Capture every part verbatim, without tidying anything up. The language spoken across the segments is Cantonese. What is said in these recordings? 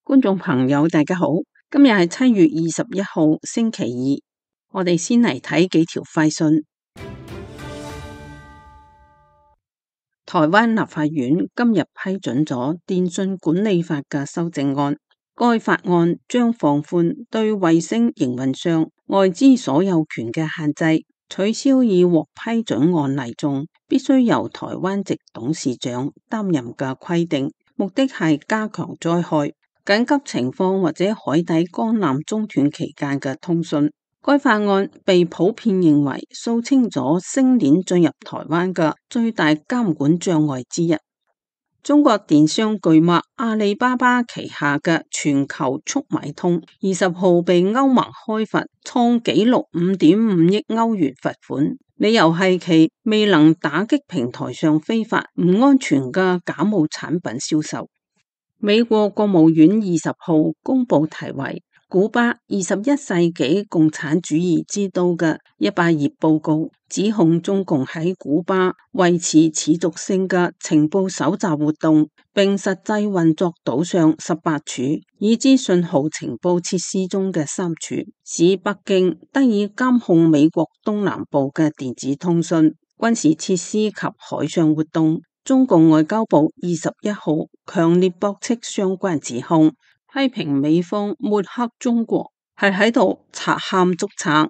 觀眾朋友大家好，今日係七月二十一號星期二，我哋先嚟睇幾條快訊。台灣立法院今日批准咗電訊管理法嘅修正案，該法案將放寬對衛星營運商外資所有權嘅限制，取消已獲批准案例中必須由台灣籍董事長擔任嘅規定，目的係加強災害、緊急情況或者海底光纜中斷期間嘅通訊。該法案被普遍認為掃清咗星鏈進入台灣嘅最大監管障礙之一。中國電商巨擘阿里巴巴旗下嘅全球速買通二十號被歐盟開罰，創紀錄五點五億歐元罰款，理由係其未能打擊平台上非法唔安全嘅假冒產品銷售。美國國務院二十號公布題為古巴二十一世紀共產主義之都嘅一百頁報告，指控中共喺古巴維持持續性嘅情報搜集活動，並實際運作島上十八處已知信號情報設施中嘅三處，使北京得以監控美國東南部嘅電子通訊、軍事設施及海上活動。中共外交部二十一號強烈駁斥相關指控，批評美方抹黑中國係喺度賊喊捉賊。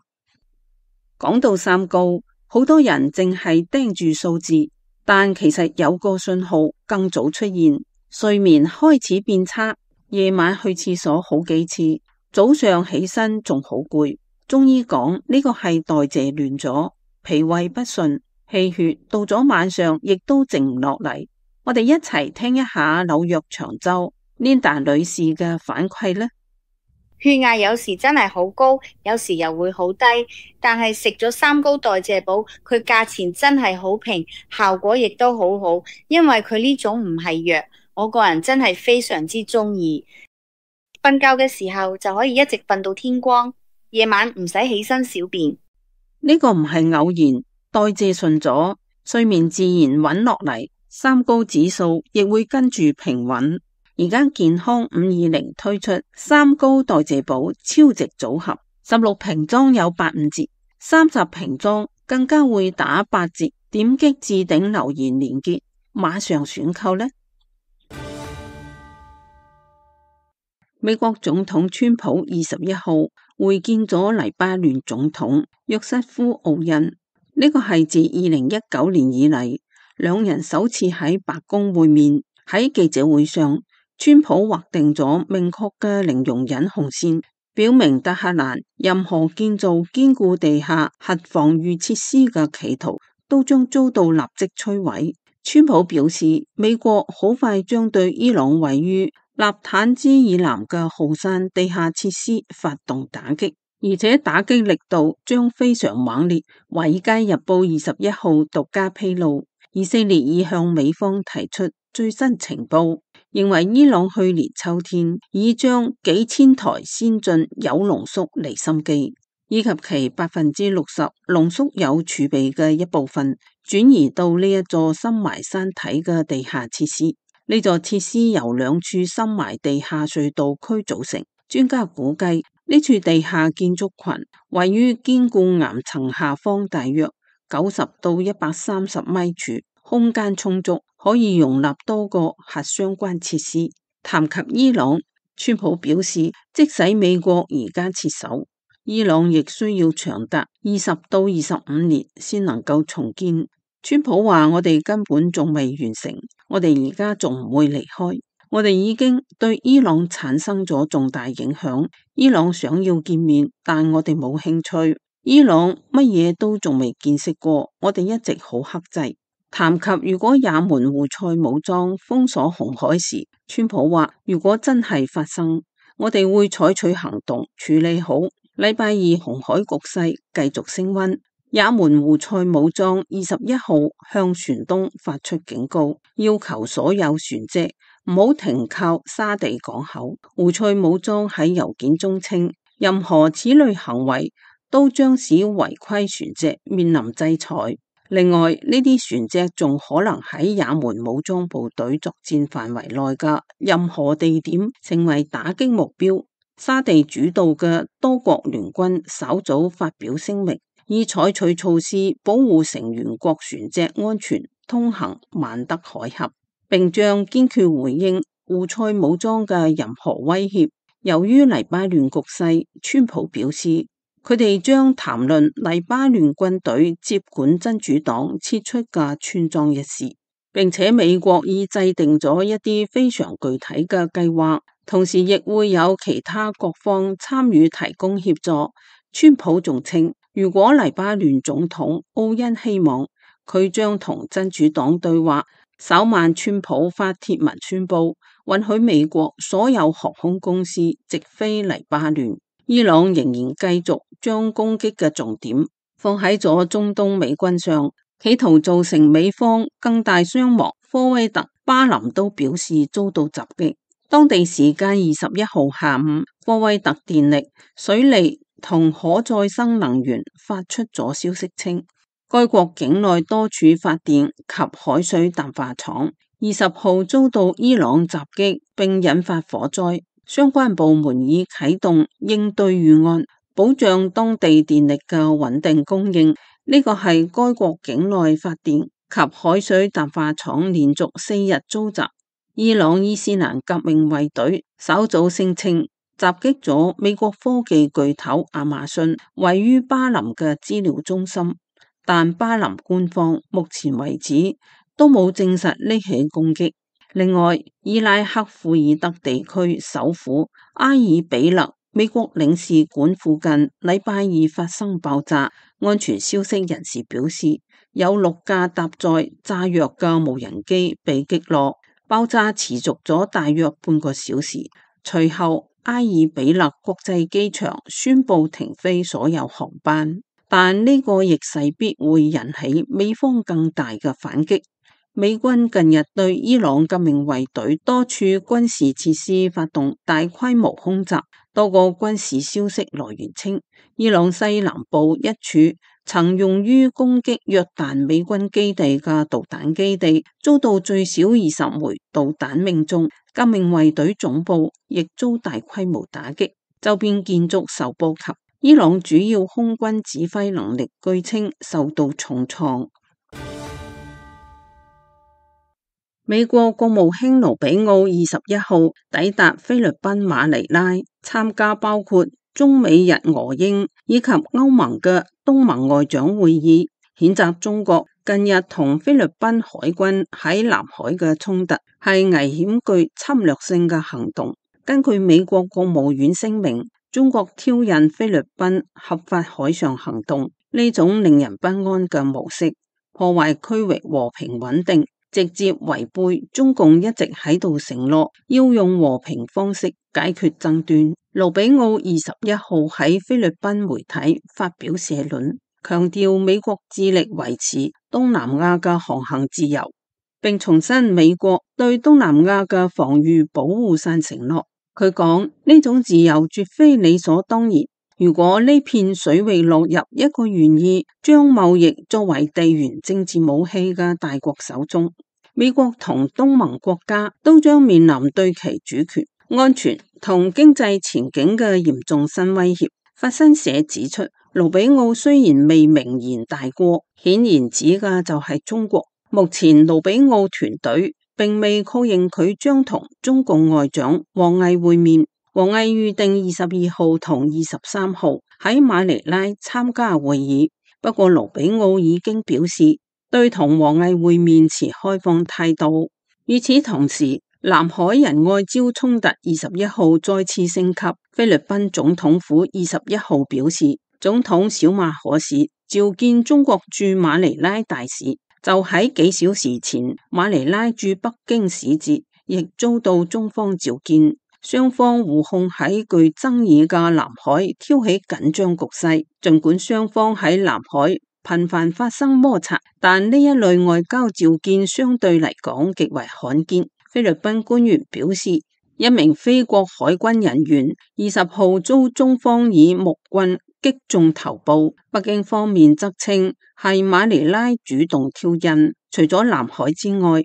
講到三高，好多人淨係盯住數字，但其實有個信號更早出現，睡眠開始變差，夜晚去廁所好幾次，早上起身仲好攰。中醫講呢個係代謝亂咗，脾胃不順，氣血到咗晚上亦都靜唔落嚟。我哋一齊聽一下紐約長洲 Linda 女士嘅反饋呢。血壓有時真係好高，有時又會好低，但係食咗三高代謝寶，佢價錢真係好平，效果亦都好好，因為佢呢種唔係藥，我個人真係非常之中意。瞓覺嘅時候就可以一直瞓到天光，夜晚唔使起身小便。呢個唔係偶然，代謝順咗，睡眠自然穩落嚟，三高指數亦會跟住平穩。而家健康五二零推出三高代謝寶超值組合，十六瓶裝有八五折，三十瓶裝更加會打八折。點擊置頂留言連結，馬上選購呢。美國總統川普二十一號會見咗黎巴嫩總統約瑟夫奧恩，呢個係自二零一九年以嚟兩人首次喺白宮會面。喺記者會上，川普劃定咗明確嘅零容忍紅線，表明德黑蘭任何建造堅固地下核防禦設施嘅企圖都將遭到立即摧毀。川普表示，美國好快將對伊朗位於納坦茲以南嘅浩山地下設施發動打擊，而且打擊力度將非常猛烈。華爾街日報二十一號獨家披露，以色列已向美方提出最新情報，認為伊朗去年秋天已將幾千台先進鈾濃縮離心機以及其百分之六十濃縮鈾儲備嘅一部分轉移到呢一座深埋山體嘅地下設施。呢座設施由兩處深埋地下隧道區組成，專家估計呢處地下建築群位於堅固岩層下方大約九十到一百三十米處，空間充足，可以容納多個核相關設施。談及伊朗，川普表示，即使美國而家撤守，伊朗亦需要長達二十到二十五年先能夠重建。川普話：我哋根本仲未完成，我哋而家仲唔會離開，我哋已經對伊朗產生咗重大影響。伊朗想要見面，但我哋冇興趣。伊朗乜嘢都仲未見識過，我哋一直好克制。談及如果也門胡塞武裝封鎖紅海時，川普話：如果真係發生，我哋會採取行動處理好。禮拜二紅海局勢繼續升溫，也門胡塞武裝二十一號向船東發出警告，要求所有船隻唔好停靠沙地港口。胡塞武裝喺郵件中稱，任何此類行為都將使違規船隻面臨制裁。另外，呢啲船隻仲可能喺也門武裝部隊作戰範圍內嘅任何地點成為打擊目標。沙地主導嘅多國聯軍稍早發表聲明，以採取措施保護成員國船隻安全通行曼德海峽，並將堅決回應胡塞武裝嘅任何威脅。由於黎巴嫩局勢，川普表示，佢哋將談論黎巴嫩軍隊接管真主黨撤出嘅村莊一事，並且美國已制定咗一啲非常具體嘅計劃，同時亦會有其他各方參與提供協助。川普仲稱，如果黎巴嫩總統奧恩希望，佢將同真主黨對話。稍晚川普發帖文宣布，允許美國所有航空公司直飛黎巴嫩。伊朗仍然繼續將攻擊嘅重點放喺咗中東美軍上，企圖造成美方更大傷亡。科威特、巴林都表示遭到襲擊。當地時間二十一號下午，科威特電力、水利同可再生能源發出咗消息稱，該國境內多處發電及海水淡化廠二十號遭到伊朗襲擊並引發火災。相關部門已啟動應對預案，保障當地電力嘅穩定供應。呢個係該國境內發電及海水淡化廠連續四日遭襲。伊朗伊斯蘭革命衛隊稍早聲稱襲擊咗美國科技巨頭亞馬遜位於巴林嘅資料中心，但巴林官方目前為止都冇證實呢起攻擊。另外，伊拉克庫爾德地區首府阿爾比勒美國領事館附近禮拜二發生爆炸，安全消息人士表示，有六架搭載炸藥嘅無人機被擊落，爆炸持續咗大約半個小時。隨後，阿爾比勒國際機場宣布停飛所有航班，但呢個亦勢必會引起美方更大嘅反擊。美軍近日對伊朗革命衛隊多處軍事設施發動大規模空襲，多個軍事消息來源稱，伊朗西南部一處曾用於攻擊約旦美軍基地嘅導彈基地遭到最少二十枚導彈命中，革命衛隊總部亦遭大規模打擊，周邊建築受波及。伊朗主要空軍指揮能力據稱受到重創。美國國務卿盧比奧二十一號抵達菲律賓馬尼拉，參加包括中美日俄英以及歐盟嘅東盟外長會議，譴責中國近日同菲律賓海軍喺南海嘅衝突係危險具侵略性嘅行動。根據美國國務院聲明，中國挑釁菲律賓合法海上行動，呢種令人不安嘅模式破壞區域和平穩定，直接違背中共一直喺度承諾要用和平方式解決爭端。盧比奧二十一號喺菲律賓媒體發表社論，強調美國致力維持東南亞嘅航行自由，並重申美國對東南亞嘅防禦保護傘承諾。佢講，呢種自由絕非理所當然，如果呢片水域落入一個願意將貿易作為地緣政治武器嘅大國手中，美國同東盟國家都將面臨對其主權、安全同經濟前景嘅嚴重新威脅。法新社指出，盧比奧雖然未明言大過，顯然指嘅就係中國。目前盧比奧團隊並未確認佢將同中共外長王毅會面。王毅預定二十二號同二十三號喺馬尼拉參加會議，不過盧比奧已經表示對同王毅會面持開放態度。與此同時，南海仁愛礁衝突二十一號再次升級。菲律賓總統府二十一號表示，總統小馬可士召見中國駐馬尼拉大使，就喺幾小時前，馬尼拉駐北京使節亦遭到中方召見，雙方互控喺具爭議嘅南海挑起緊張局勢。儘管雙方喺南海頻繁發生摩擦，但呢一類外交召見相對嚟講極為罕見。菲律賓官員表示，一名菲國海軍人員二十號遭中方以木棍擊中頭部。北京方面則稱係馬尼拉主動挑釁。除咗南海之外，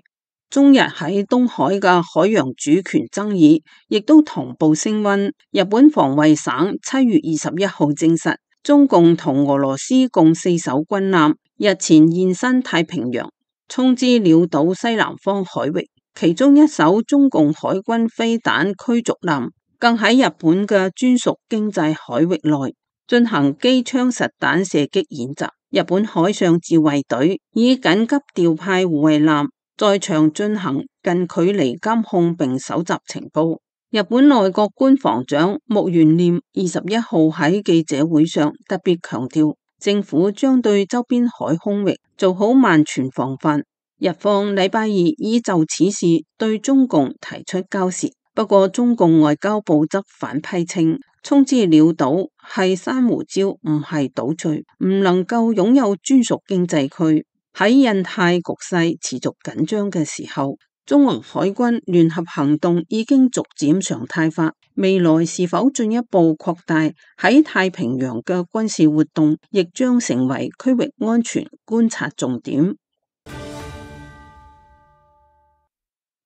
中日喺東海嘅海洋主權爭議亦都同步升溫。日本防衛省七月二十一號證實，中共同俄羅斯共四艘軍艦日前現身太平洋，衝至鳥島西南方海域，其中一艘中共海軍飛彈驅逐艦更喺日本嘅專屬經濟海域內進行機槍實彈射擊演習。日本海上自衛隊以緊急調派護衛艦在場進行近距離監控並搜集情報。日本內閣官房長木原稔二十一號喺記者會上特別強調，政府將對周邊海空域做好萬全防範。日方禮拜二已就此事對中共提出交涉，不過中共外交部則反批稱，衝至鳥島係珊瑚礁，唔係島嶼，唔能夠擁有專屬經濟區。喺印太局勢持續緊張嘅時候，中俄海軍聯合行動已經逐漸常態化，未來是否進一步擴大喺太平洋嘅軍事活動，亦將成為區域安全觀察重點。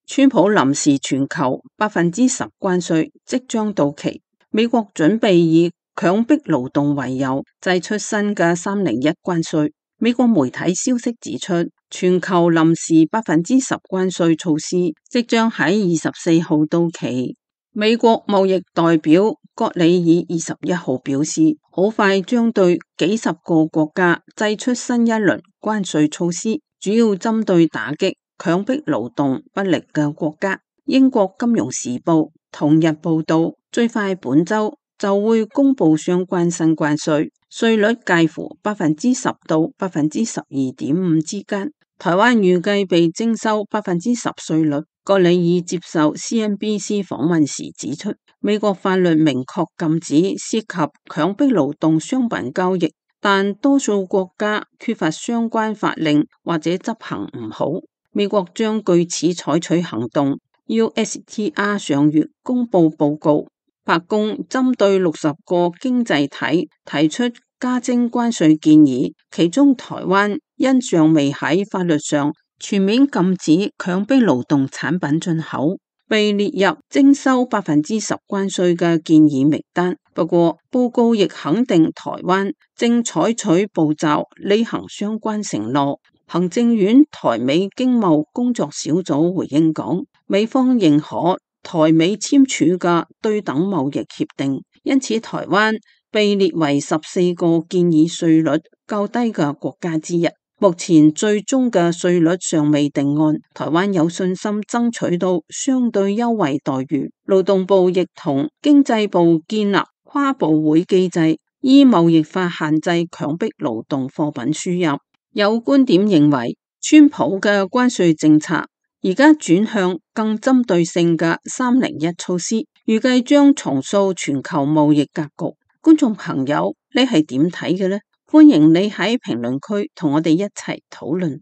川普臨時全球百分之十關稅即將到期，美國準備以強迫勞動為由祭出新嘅三零一關稅。美國媒體消息指出，全球臨時百分之十關稅措施即將喺二十四號到期。美國貿易代表葛里爾二十一號表示，好快將對幾十個國家祭出新一輪關稅措施，主要針對打擊強迫勞動不力嘅國家。英國金融時報同日報道，最快本周就會公布相關新關稅，稅率介乎百分之十到百分之十二點五之間。台灣預計被徵收百分之十稅率。葛里爾接受 C N B C 訪問時指出，美國法律明確禁止涉及強迫勞動商品交易，但多數國家缺乏相關法令或者執行唔好。美國將據此採取行動。U S T R 上月公布報告，白宮針對六十個經濟體提出加徵關稅建議，其中台灣因尚未喺法律上全面禁止強迫勞動產品進口，被列入徵收百分之十關稅嘅建議名單。不過報告亦肯定台灣正採取步驟履行相關承諾。行政院台美經貿工作小組回應講，美方認可台美簽署嘅對等貿易協定，因此台灣被列為十四個建議稅率較低嘅國家之一。目前最終嘅稅率尚未定案，台灣有信心爭取到相對優惠待遇。勞動部亦同經濟部建立跨部會機制，依貿易法限制強迫勞動貨品輸入。有觀點認為，川普嘅關稅政策而家轉向更針對性嘅三零一措施，預計將重塑全球貿易格局。觀眾朋友，你係點睇嘅呢？歡迎你喺評論區同我哋一齊討論。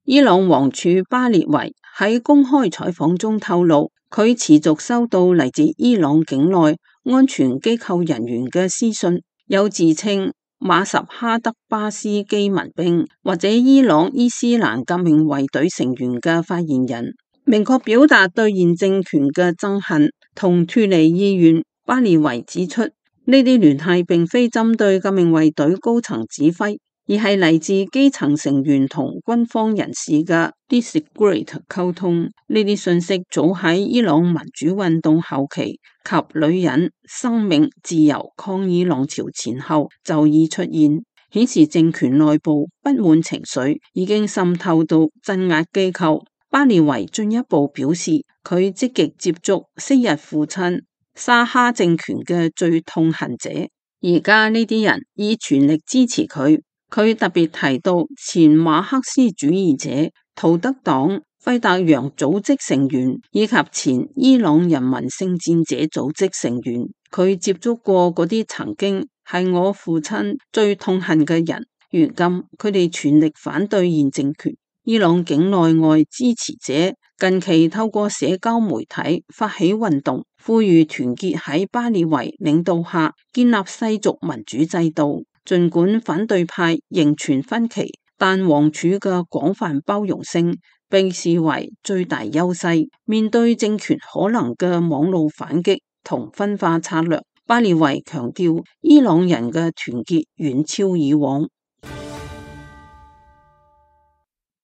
伊朗王儲巴列維喺公開採訪中透露，佢持續收到嚟自伊朗境內安全機構人員嘅私信，有自稱馬什哈德巴斯基民兵或者伊朗伊斯蘭革命衛隊成員嘅發言人，明確表達對現政權嘅憎恨同脫離意願。巴列維指出，呢啲聯繫並非針對革命衛隊高層指揮，而係嚟自基層成員同軍方人士嘅 discreet 溝通。呢啲信息早喺伊朗民主運動後期及女人、生命、自由抗議浪潮前後就已出現，顯示政權內部不滿情緒已經滲透到鎮壓機構。巴列維進一步表示，佢積極接觸昔日父親沙哈政權嘅最痛恨者，而家呢啲人以全力支持佢。佢特別提到前馬克思主義者、圖德黨、費達揚組織成員以及前伊朗人民聖戰者組織成員。佢接觸過嗰啲曾經係我父親最痛恨嘅人，如今佢哋全力反對現政權。伊朗境內外支持者近期透過社交媒體發起運動，呼籲團結喺巴列維領導下建立世俗民主制度。儘管反對派仍存分歧，但王儲嘅廣泛包容性被視為最大優勢。面對政權可能嘅網絡反擊同分化策略，巴列維強調伊朗人嘅團結遠超以往。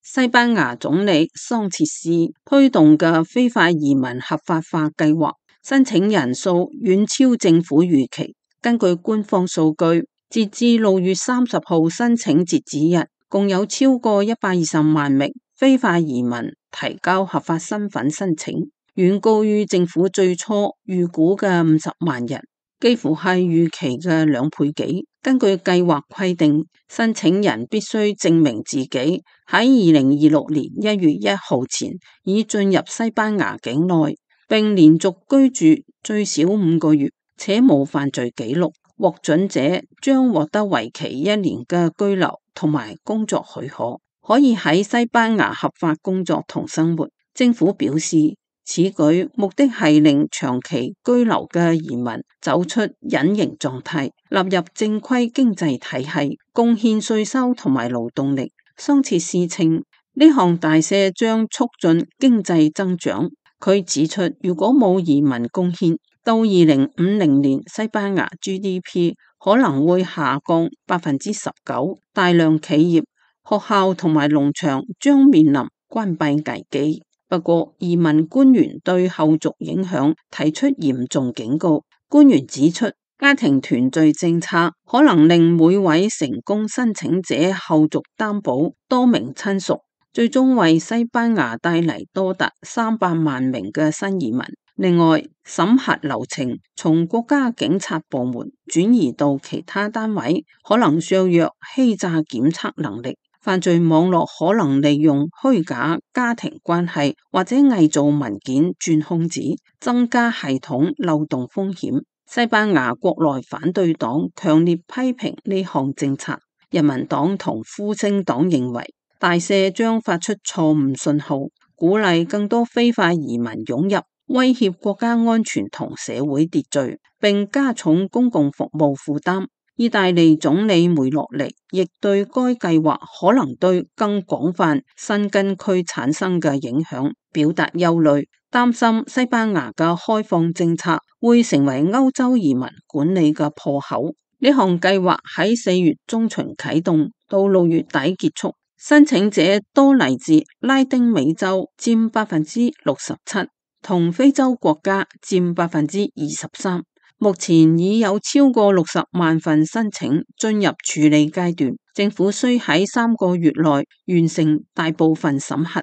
西班牙總理桑切斯推動嘅非法移民合法化計劃，申請人數遠超政府預期。根據官方數據，截至六月三十號申請截止日，共有超過一百二十萬名非法移民提交合法身份申請，遠高於政府最初預估嘅五十萬人，幾乎係預期嘅兩倍幾。根據計劃規定，申請人必須證明自己喺二零二六年一月一號前已進入西班牙境內，並連續居住最少五個月，且無犯罪記錄。獲准者將獲得為期一年嘅居留同埋工作許可，可以喺西班牙合法工作同生活。政府表示，此舉目的係令長期居留嘅移民走出隱形狀態，納入正規經濟體系，貢獻稅收同埋勞動力。桑切斯稱呢項大赦將促進經濟增長。佢指出，如果冇移民貢獻，到二零五零年西班牙 G D P 可能會下降百分之十九，大量企業、學校同埋農場將面臨關閉危機。不過，移民官員對後續影響提出嚴重警告。官員指出，家庭團聚政策可能令每位成功申請者後續擔保多名親屬，最終為西班牙帶嚟多達三百萬名嘅新移民。另外，審核流程從國家警察部門轉移到其他單位，可能削弱欺詐檢測能力。犯罪網絡可能利用虛假家庭關係或者偽造文件鑽空子，增加系統漏洞風險。西班牙國內反對黨強烈批評呢項政策。人民黨同復興黨認為大赦將發出錯誤信號，鼓勵更多非法移民湧入，威脅國家安全同社會秩序，並加重公共服務負擔。意大利總理梅洛尼亦對該計劃可能對更廣泛新根區產生嘅影響表達憂慮，擔心西班牙嘅開放政策會成為歐洲移民管理嘅破口。呢項計劃喺四月中旬啟動，到六月底結束。申請者多嚟自拉丁美洲，佔百分之六十七，同非洲國家佔百分之二十三。目前已有超過六十萬份申請進入處理階段，政府需喺三個月內完成大部分審核。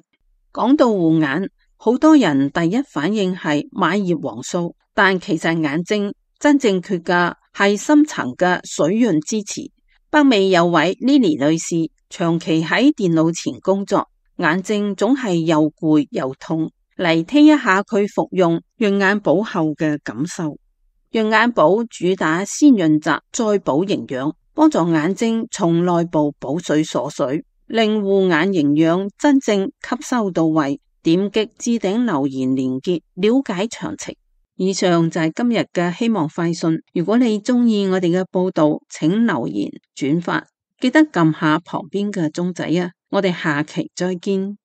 講到護眼，好多人第一反應係買葉黃素，但其實眼睛真正缺嘅係深層嘅水潤支持。北美有位 Lily 女士長期喺電腦前工作，眼睛總係又攰又痛。嚟聽一下佢服用潤眼寶後嘅感受。潤眼寶主打先潤澤再補營養，幫助眼睛從內部補水鎖水，令護眼營養真正吸收到位。點擊置頂留言連結了解詳情。以上就係今日嘅希望快訊。如果你中意我哋嘅報道，請留言轉發，記得撳下旁邊嘅鐘仔啊！我哋下期再見。